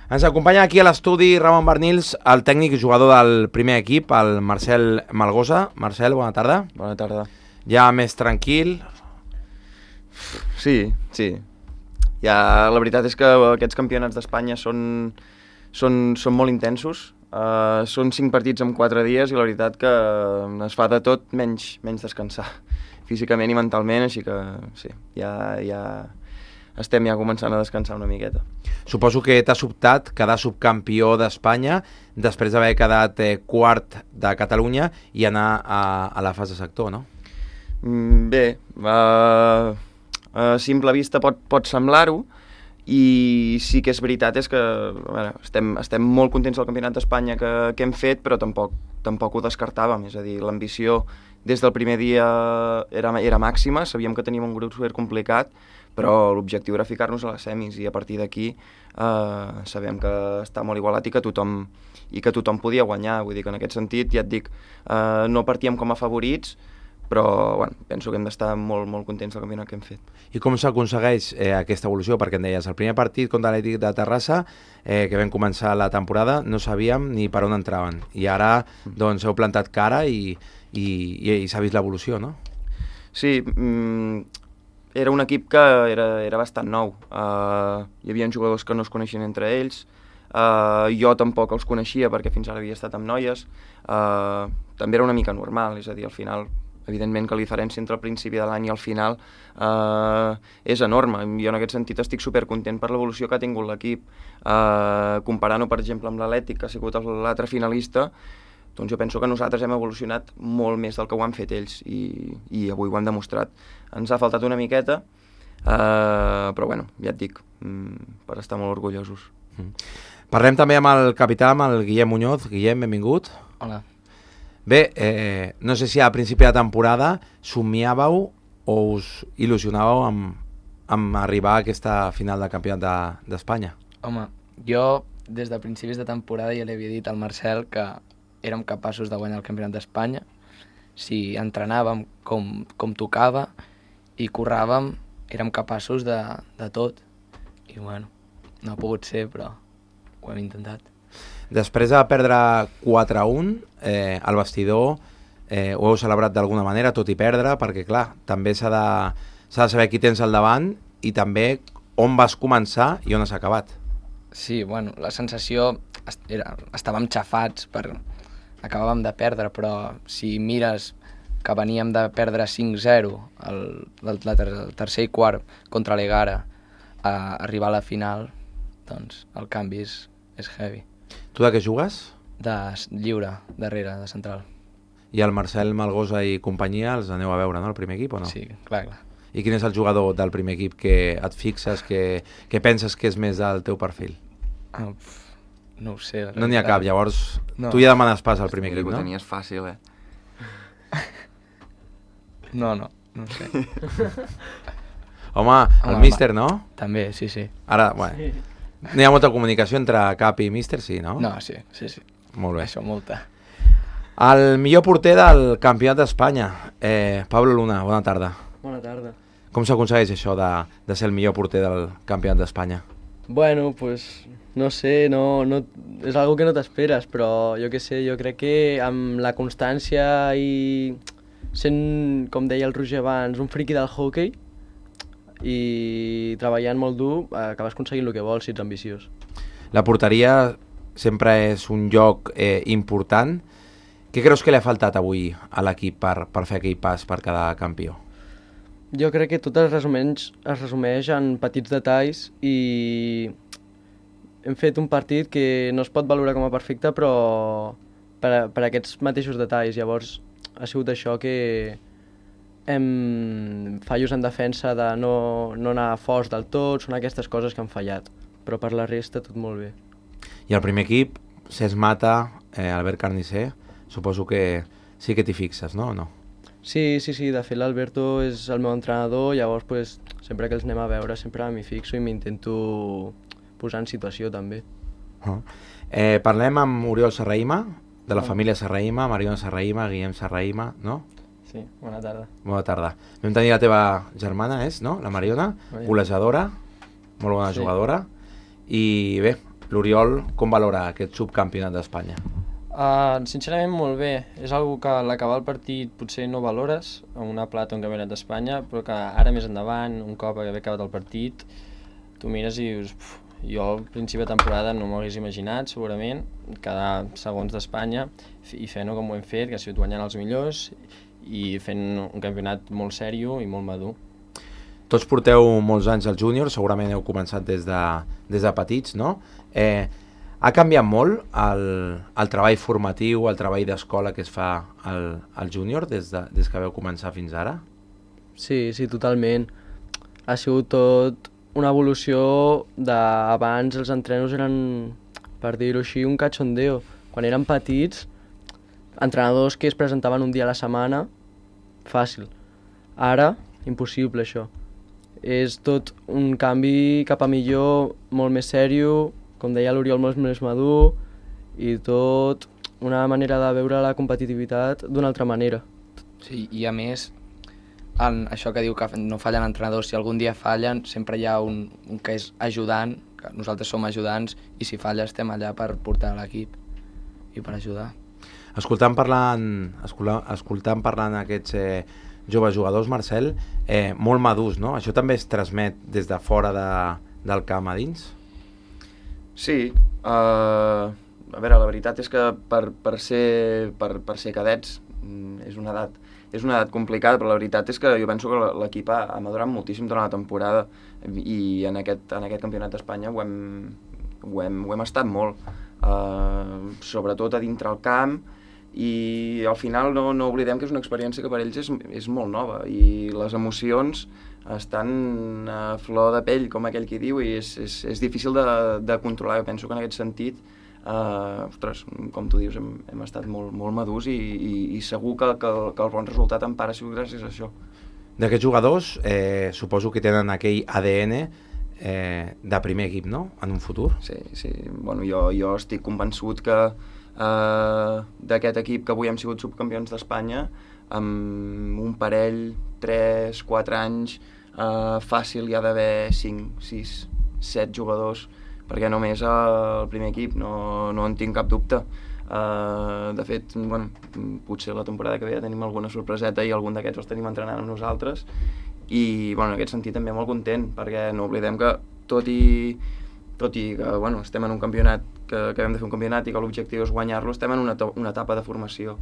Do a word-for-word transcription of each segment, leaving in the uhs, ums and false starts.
Ens acompanya aquí a l'estudi Ramon Barnils, el tècnic i jugador del primer equip, el Marcel Malgosa. Marcel, bona tarda. Bona tarda. Ja més tranquil? Sí, sí. Ja, la veritat és que aquests campionats d'Espanya són, són, són molt intensos. Uh, són cinc partits en quatre dies i la veritat que es fa de tot menys, menys descansar, físicament i mentalment, així que sí, ja, ja estem ja començant a descansar una miqueta. Suposo que t'ha sobtat quedar subcampió d'Espanya després d'haver quedat eh, quart de Catalunya i anar a, a la fase sector, no? Mm, bé, uh, a simple vista pot, pot semblar-ho, i sí que és veritat és que bueno, estem, estem molt contents del Campionat d'Espanya que, que hem fet, però tampoc, tampoc ho descartàvem, és a dir, l'ambició des del primer dia era, era màxima, sabíem que teníem un grup super complicat, però l'objectiu era ficar-nos a les semis i a partir d'aquí eh, sabem que està molt igualat i que tothom, i que tothom podia guanyar, vull dir que en aquest sentit, ja et dic, eh, no partíem com a favorits, però bueno, penso que hem d'estar molt, molt contents del campionat que hem fet. I com s'aconsegueix eh, aquesta evolució? Perquè em deies, el primer partit contra l'Atlètic de Terrassa, eh, que vam començar la temporada, no sabíem ni per on entraven. I ara doncs, heu plantat cara i, i, i, i s'ha vist l'evolució, no? Sí, mm, era un equip que era, era bastant nou. Uh, hi havia jugadors que no es coneixien entre ells, uh, jo tampoc els coneixia perquè fins ara havia estat amb noies. Uh, també era una mica normal, és a dir, al final evidentment que la diferència entre el principi de l'any i el final eh, és enorme. Jo en aquest sentit estic supercontent per l'evolució que ha tingut l'equip. Eh, comparant-ho, per exemple, amb l'Atlètic, que ha sigut l'altre finalista, doncs jo penso que nosaltres hem evolucionat molt més del que ho han fet ells i, i avui ho han demostrat. Ens ha faltat una miqueta, eh, però bueno, ja et dic, mm, per estar molt orgullosos. Mm. Parlem també amb el capità, amb el Guillem Muñoz. Guillem, benvingut. Hola. Bé, eh, no sé si a principi de temporada somiàveu o us il·lusionàveu amb, amb arribar a aquesta final de campionat d'Espanya. De, Home, jo des de principis de temporada ja li havia dit al Marcel que érem capaços de guanyar el campionat d'Espanya si entrenàvem com, com tocava i curràvem, érem capaços de, de tot. I bueno, no ha pogut ser, però ho hem intentat. Després de perdre quatre a un, eh, al vestidor eh, ho heu celebrat d'alguna manera, tot i perdre, perquè clar, també s'ha de, s'ha de saber qui tens al davant i també on vas començar i on has acabat. Sí, bueno, la sensació era, estàvem xafats, per, acabàvem de perdre, però si mires que veníem de perdre cinc zero el, el, el tercer i quart contra l'Egara a arribar a la final, doncs el canvi és, és heavy. Tu de què jugues? De lliure, darrere, de central. I el Marcel Malgosa i companyia els aneu a veure, no, el primer equip o no? Sí, clar, clar. I quin és el jugador del primer equip que et fixes, que, que penses que és més del teu perfil? Ah, pf, no ho sé. No n'hi ha cap, llavors no. Tu ja demanes pas al primer equip, no? Ho tenies fàcil, eh? No, no, no ho sé. Home, el Home, míster, no? També, sí, sí. Ara, bueno, sí. No hi ha molta comunicació entre cap i míster, sí, no? No, sí, sí, sí. Molt bé. Això, molta. El millor porter del campionat d'Espanya, eh, Pablo Luna, bona tarda. Bona tarda. Com s'aconsegueix això de, de ser el millor porter del campionat d'Espanya? Bueno, pues no sé, no, no, és algo que no t'esperes, però jo què sé, jo crec que amb la constància i sent, com deia el Roger abans, un friqui del hockey i treballant molt dur acabes aconseguint el que vols si ets ambiciós. La porteria sempre és un lloc eh, important. Què creus que li ha faltat avui a l'equip per, per fer aquell pas per quedar campió? Jo crec que tot es resumeix, es resumeix en petits detalls i hem fet un partit que no es pot valorar com a perfecte, però per, per aquests mateixos detalls. Llavors ha sigut això que hem fallos en defensa de no, no anar forts del tot, són aquestes coses que han fallat, però per la resta tot molt bé. I el primer equip, Cesc Mata, eh, Albert Carnicer, suposo que sí que t'hi fixes, no o no? Sí, sí, sí, de fet l'Alberto és el meu entrenador, llavors pues, sempre que els anem a veure sempre m'hi fixo i m'intento posar en situació també. Uh -huh. eh, parlem amb Oriol Serrahima, de la família Serrahima, Mariona Serrahima, Guillem Serrahima, no? Sí, bona tarda. Bona tarda. Vam tenir la teva germana, és, no? La Mariona, golejadora, molt bona Sí. jugadora. I bé, L'Oriol, com valora aquest subcampionat d'Espanya? Uh, sincerament molt bé, és algo que a l'acabar el partit potser no valores, una plata o un campionat d'Espanya, però que ara més endavant, un cop haver acabat el partit, tu mires i dius, puf, jo al principi de temporada no m'ho hagués imaginat segurament, quedar segons d'Espanya i fent-ho com ho hem fet, que ha sigut guanyant els millors i fent un campionat molt sèrio i molt madur. Tots porteu molts anys al júnior, segurament heu començat des de, des de petits, no? Eh, ha canviat molt el, el treball formatiu, el treball d'escola que es fa al, al júnior des, de, des que vau començar fins ara? Sí, sí, totalment. Ha sigut tot una evolució d'abans els entrenos eren, per dir-ho així, un cachondeo. Quan eren petits, entrenadors que es presentaven un dia a la setmana, fàcil. Ara, impossible això. És tot un canvi cap a millor, molt més sèrio, com deia l'Oriol, molt més madur, i tot una manera de veure la competitivitat d'una altra manera. Sí, i a més, en això que diu que no fallen entrenadors, si algun dia fallen, sempre hi ha un, un que és ajudant, que nosaltres som ajudants, i si falla estem allà per portar l'equip i per ajudar. Escoltant parlant, escoltant, escoltant parlant aquests eh, joves jugadors, Marcel, eh, molt madurs, no? Això també es transmet des de fora de, del camp a dins? Sí, uh, a veure, la veritat és que per, per, ser, per, per ser cadets és una edat és una edat complicada, però la veritat és que jo penso que l'equip ha, ha madurat moltíssim durant la temporada i en aquest, en aquest campionat d'Espanya ho, hem, ho, hem, ho hem estat molt, uh, sobretot a dintre el camp, i al final no, no oblidem que és una experiència que per ells és, és molt nova i les emocions estan a flor de pell, com aquell qui diu, i és, és, és difícil de, de controlar. Jo penso que en aquest sentit, eh, ostres, com tu dius, hem, hem estat molt, molt madurs i, i, i segur que, que, que el bon resultat en part ha sigut gràcies a això. D'aquests jugadors, eh, suposo que tenen aquell A D N eh, de primer equip, no?, en un futur. Sí, sí. Bueno, jo, jo estic convençut que Uh, d'aquest equip que avui hem sigut subcampions d'Espanya, amb un parell, tres, quatre anys, uh, fàcil hi ha d'haver cinc, sis, set jugadors, perquè només al primer equip, no, no en tinc cap dubte. Uh, de fet, bueno, potser la temporada que ve ja tenim alguna sorpreseta i algun d'aquests els tenim entrenant amb nosaltres, i bueno, en aquest sentit també molt content, perquè no oblidem que tot i tot i que bueno, estem en un campionat, que, que hem de fer un campionat i que l'objectiu és guanyar-lo, estem en una, una etapa de formació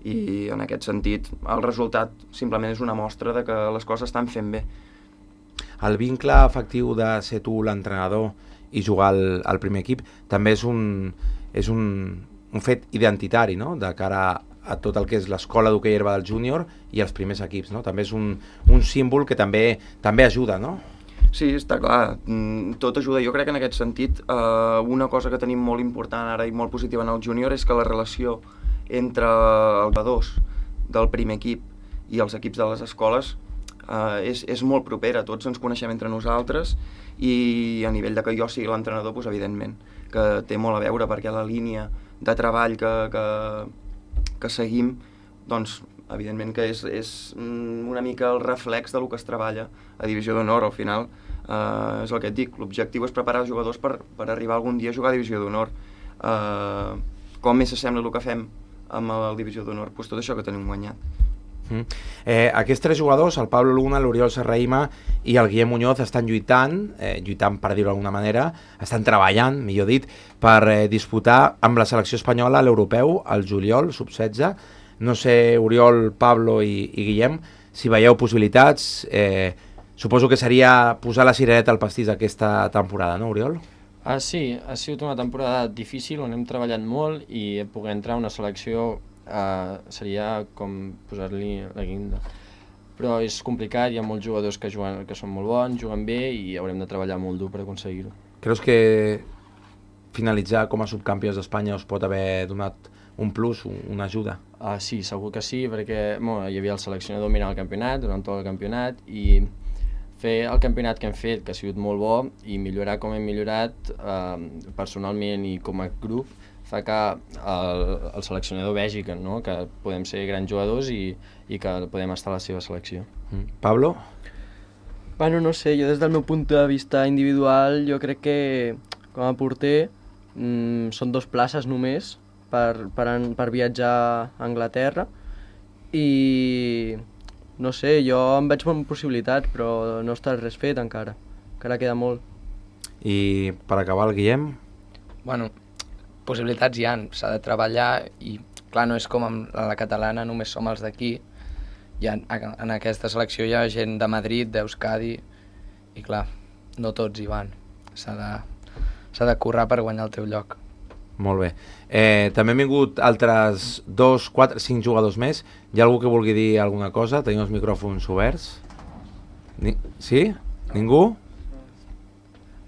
i en aquest sentit el resultat simplement és una mostra de que les coses estan fent bé. El vincle efectiu de ser tu l'entrenador i jugar al, al primer equip també és un, és un, un fet identitari, no?, de cara a, a tot el que és l'escola d'hoquei herba del júnior i els primers equips, no? També és un, un símbol que també, també ajuda, no? Sí, està clar, tot ajuda. Jo crec que en aquest sentit eh, una cosa que tenim molt important ara i molt positiva en el júnior és que la relació entre els jugadors del primer equip i els equips de les escoles eh, és, és molt propera, tots ens coneixem entre nosaltres i a nivell de que jo sigui l'entrenador, doncs, evidentment que té molt a veure, perquè la línia de treball que, que, que seguim, doncs evidentment que és, és una mica el reflex de lo que es treballa a Divisió d'Honor. Al final eh, és el que et dic, l'objectiu és preparar els jugadors per, per arribar algun dia a jugar a Divisió d'Honor. Eh, com més s'assembla el que fem amb el Divisió d'Honor? Pues tot això que tenim guanyat. Mm. Eh, aquests tres jugadors, el Pablo Luna, l'Oriol Serrahima i el Guillem Muñoz, estan lluitant, eh, lluitant per dir-ho d'alguna manera, estan treballant, millor dit, per eh, disputar amb la selecció espanyola l'europeu, el juliol, sub setze. No sé, Oriol, Pablo i, i Guillem, si veieu possibilitats, eh, suposo que seria posar la cirereta al pastís aquesta temporada, no, Oriol? Ah, sí, ha sigut una temporada difícil on hem treballat molt i poder entrar a una selecció eh, seria com posar-li la guinda. Però és complicat, hi ha molts jugadors que, juguen, que són molt bons, juguen bé i haurem de treballar molt dur per aconseguir-ho. Creus que finalitzar com a subcampions d'Espanya us pot haver donat un plus, una ajuda? Ah, sí, segur que sí, perquè bueno, hi havia el seleccionador mirant el campionat, durant tot el campionat, i fer el campionat que hem fet, que ha sigut molt bo, i millorar com hem millorat eh, personalment i com a grup, fa que el, el seleccionador vegi que, no? que podem ser grans jugadors i, i que podem estar a la seva selecció. Mm. Pablo? Bueno, no sé, jo des del meu punt de vista individual, jo crec que com a porter mm, són dos places només per, per, an, per viatjar a Anglaterra i no sé, jo em veig amb possibilitats, però no està res fet encara, encara queda molt. I per acabar, el Guillem? Bueno, possibilitats hi ha, s'ha de treballar i clar, no és com amb la catalana, només som els d'aquí. En aquesta selecció hi ha gent de Madrid, d'Euskadi, i clar, no tots hi van. S'ha de, s'ha de currar per guanyar el teu lloc. Molt bé. Eh, també han vingut altres dos, quatre, cinc jugadors més. Hi ha algú que vulgui dir alguna cosa? Tenim els micròfons oberts. Ni... Sí? Ningú?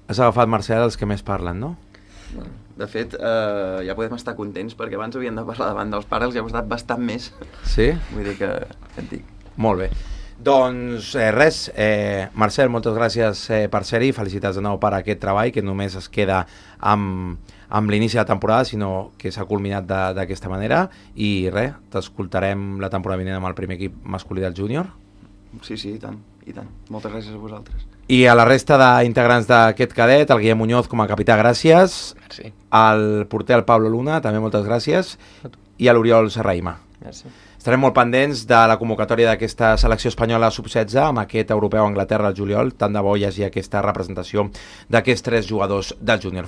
Has agafat, Marcel, els que més parlen, no? De fet, eh, ja podem estar contents perquè abans havien de parlar davant dels pares i ha costat bastant més. Sí? Vull dir que et dic. Molt bé. Doncs eh, res, eh, Marcel, moltes gràcies eh, per ser-hi, felicitats de nou per aquest treball que només es queda amb, amb l'inici de la temporada, sinó que s'ha culminat d'aquesta manera i res, t'escoltarem la temporada vinent amb el primer equip masculí del júnior. Sí, sí, i tant, i tant. Moltes gràcies a vosaltres. I a la resta d'integrants d'aquest cadet, el Guillem Muñoz com a capità, gràcies. Merci. Al porter, el Pablo Luna, també moltes gràcies. I a l'Oriol Serraima. Merci. Estarem molt pendents de la convocatòria d'aquesta selecció espanyola sub setze amb aquest europeu a Anglaterra al juliol. Tant de bo hi hagi aquesta representació d'aquests tres jugadors del júnior.